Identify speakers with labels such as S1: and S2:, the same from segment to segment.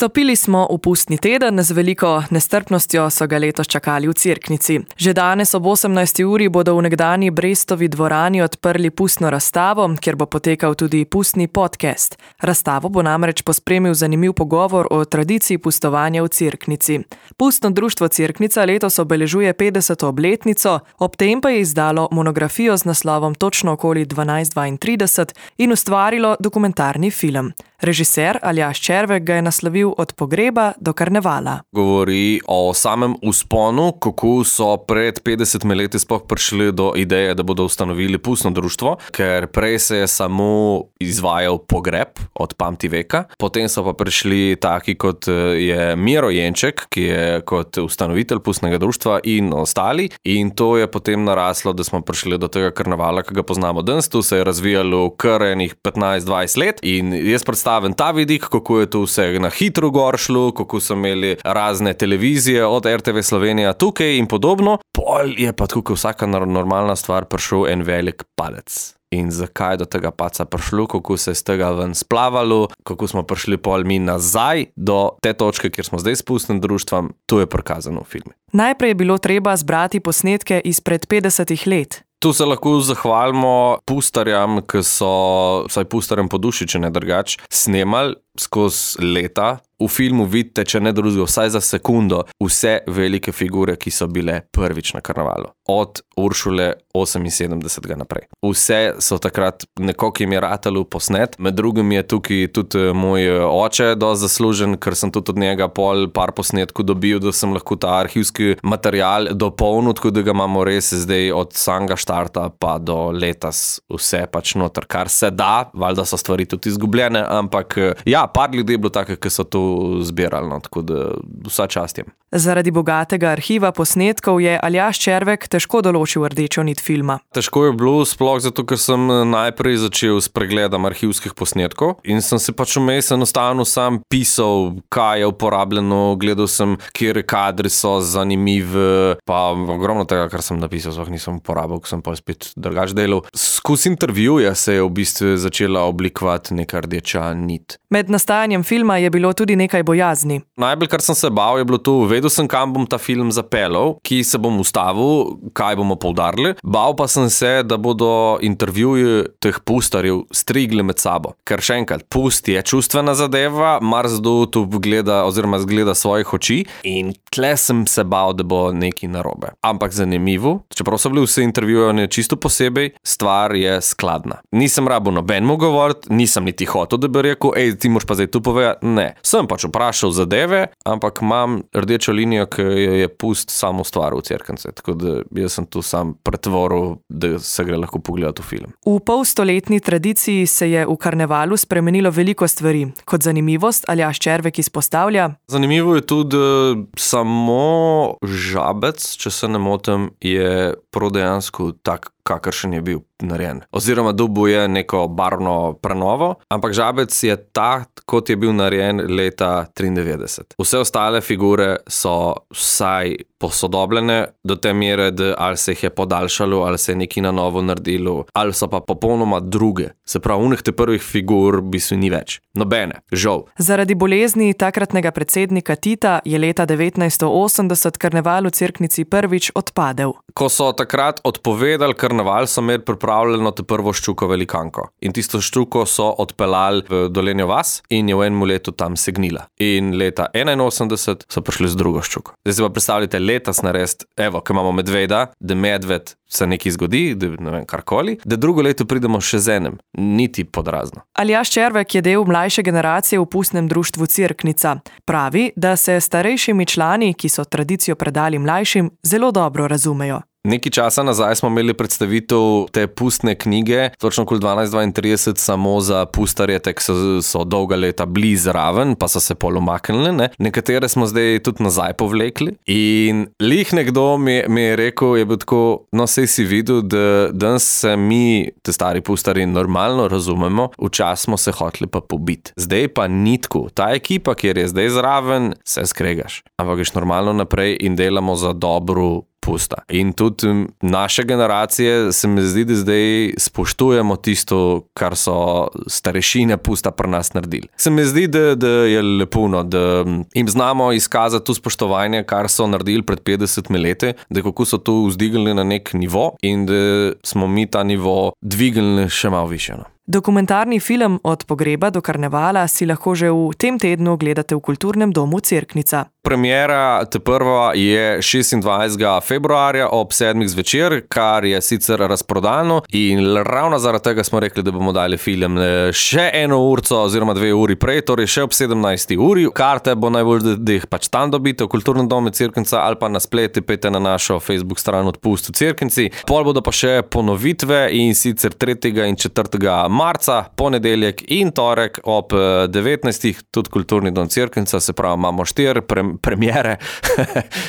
S1: Vstopili smo v pustni teden, z veliko nestrpnostjo so ga letos čakali v Cerknici. Že danes ob 18. uri bodo v nekdani Brestovi dvorani odprli pustno razstavo, kjer bo potekal tudi pustni podcast. Razstavo bo namreč pospremil zanimiv pogovor o tradiciji pustovanja v Cerknici. Pustno društvo Cerknica letos obeležuje 50. obletnico, ob tem pa je izdalo monografijo z naslovom točno okoli 1232 in ustvarilo dokumentarni film. Režiser Aljaž Červek ga je naslovil Od pogreba do karnevala.
S2: Govori o samem vzponu, kako so pred 50 leti sploh prišli do ideje, da bodo ustanovili pustno društvo, ker prej se je samo izvajal pogreb od pamti veka. Potem so pa prišli taki kot je Miro Jenček, ki je kot ustanovitelj pustnega društva in ostali. In to je potem naraslo, da smo prišli do tega karnevala, ki ga poznamo danes. Tu se je razvijalo kar enih 15-20 let in jaz predstavim ta vidik, kako je to vse na hitro gor šlo, kako so imeli razne televizije od RTV Slovenija tukaj in podobno. Pol je pa tukaj vsaka normalna stvar prišel en velik padec. In zakaj do tega paca prišlo, kako se je z tega ven splavalo, kako smo prišli pol mi nazaj do te točke, kjer smo zdaj s pustnim društvom, to je prikazano v filmu.
S1: Najprej je bilo treba zbrati posnetke izpred 50 let.
S2: Tu se lahko zahvalimo pustarjam, ki so, vsaj pustarjem po duši, če ne drugače, snemali skozi leta. V filmu vidite, če ne drugega, vsaj za sekundo, vse velike figure, ki so bile prvič na karnevalu. Od Uršule 78. naprej. Vse so takrat nekoliko jim je ratalo posnet. Med drugim je tukaj tudi moj oče dosti zaslužen, ker sem tudi od njega par posnetkov dobil, da sem lahko ta arhivski material dopolnil, tako da ga imamo res zdaj od samega štarta pa do letos vse pač noter, kar se da. Valjda so stvari tudi izgubljene, ampak ja, par ljudi je bilo take, ki so to zbirali, no, tako da vsa čast jim.
S1: Zaradi bogatega arhiva posnetkov je Aljaž Červek težko določil rdečo nit filma.
S2: Težko je bilo sploh zato, ker sem najprej začel s pregledom arhivskih posnetkov in sem se pač vmes enostavno sam pisal, kaj je uporabljeno, gledal sem, kjer kadri so zanimivi, pa ogromno tega, kar sem napisal, sploh nisem uporabil, ko sem pa spet drugače delal. Skozi intervjuje se je v bistvu začela oblikovati neka rdeča nit.
S1: Med nastajanjem filma je bilo tudi nekaj bojazni.
S2: Najbolj, kar sem se bal, je bilo to, vedel sem, kam bom ta film zapeljal, ki se bom ustavil, kaj bomo poudarili. Bal pa sem se, da bodo intervjuji teh pustarjev strigli med sabo. Ker še enkrat, pust je čustvena zadeva, marsdo tu gleda oziroma zgleda svojih oči in tle sem se bal, da bo nekaj narobe. Ampak zanimivo, čeprav so bili vse intervjujeni čisto posebej, stvar je skladna. Nisem rabil nobenemu govoriti, nisem niti hotel, da bi rekel, ti moraš pa zdaj tu povedati. Ne, sem pač vprašal zadeve, ampak imam rdečo linijo, ki je pust samo stvar v Cerknici, tako da jaz sem tu sam pretvoril, da se gre lahko pogledati v film.
S1: V polstoletni tradiciji se je v karnevalu spremenilo veliko stvari. Kot zanimivost Aljaž Červek izpostavlja:
S2: zanimivo je tudi, da samo Žabec, če se ne motim, je dejansko tak, kakršen je bil narejen. Oziroma dobil je neko barvno prenovo, ampak Žabec je tak, kot je bil narejen leta 93. Vse ostale figure so vsaj posodobljene do te mere, da ali se jih je podaljšalo, ali se je nekaj na novo naredilo, ali so pa popolnoma druge. Se pravi, unih te prvih figur v bistvu ni več. Nobene, žal.
S1: Zaradi bolezni takratnega predsednika Tita je leta 1980 karneval v Cerknici prvič odpadel.
S2: Ko so takrat odpovedali karneval, so imeli pripravljeno to prvo ščuko velikanko. In tisto ščuko so odpeljali v Dolenjo vas in je v enem letu tam segnila. In leta 81 so prišli z drugo ščuko. Zdaj si pa predstavljate letos narediti, evo, ko imamo medveda, da medved se nekaj zgodi, da ne vem, karkoli, da drugo leto pridemo še z enem. Niti podrazno.
S1: Aljaž Červek je del mlajše generacije v pustnem društvu Cerknica. Pravi, da se starejšimi člani, ki so tradicijo predali mlajšim, zelo dobro razumejo.
S2: Nekaj časa nazaj smo imeli predstavitev te pustne knjige, točno okoli 1232, samo za pustarje, ki so dolga leta bili zraven, pa so se pol umaknili, ne. Nekatere smo zdaj tudi nazaj povlekli. In lih nekdo mi je rekel, je bil tako, no sej si videl, da danes se mi, te stari pustarji, normalno razumemo, včasih smo se hoteli pa pobiti. Zdaj pa ni tako. Ta ekipa, kjer je zdaj zraven, se skregaš. Ampak greš normalno naprej in delamo za dobro pusta. In tudi naše generacije se mi zdi, da zdaj spoštujemo tisto, kar so starešine pusta pri nas naredili. Se mi zdi, da je lepo, da jim znamo izkazati to spoštovanje, kar so naredili pred 50 leti, da kako so to vzdignili na nek nivo in da smo mi ta nivo dvignili še malo više.
S1: Dokumentarni film Od pogreba do karnevala si lahko že v tem tednu gledate v Kulturnem domu Cerknica.
S2: Premiera prva je 26. februarja ob 7. zvečer, kar je sicer razprodano in ravno zaradi tega smo rekli, da bomo dali film še 1 urco oziroma 2 uri prej, torej še ob 17. uri. Karte bo najbolj, da jih pač tam dobite v Kulturnem domu Cerknica ali pa na spletu pejte na našo Facebook stran Odpust v Cerknici. Pol bodo pa še ponovitve in sicer 3. in 4. marca, ponedeljek in torek ob 19. tudi Kulturni dom Cerknica, se pravi, imamo 4 premiere,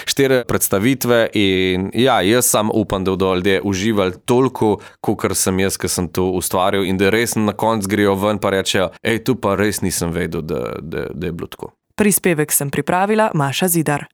S2: 4 predstavitve in ja, jaz sam upam, da bodo ljudje uživali toliko, kolikor sem jaz, ki sem to ustvaril in da res na koncu grejo ven pa rečejo, tu pa res nisem vedel, da je bilo tako.
S1: Prispevek sem pripravila Maša Zidar.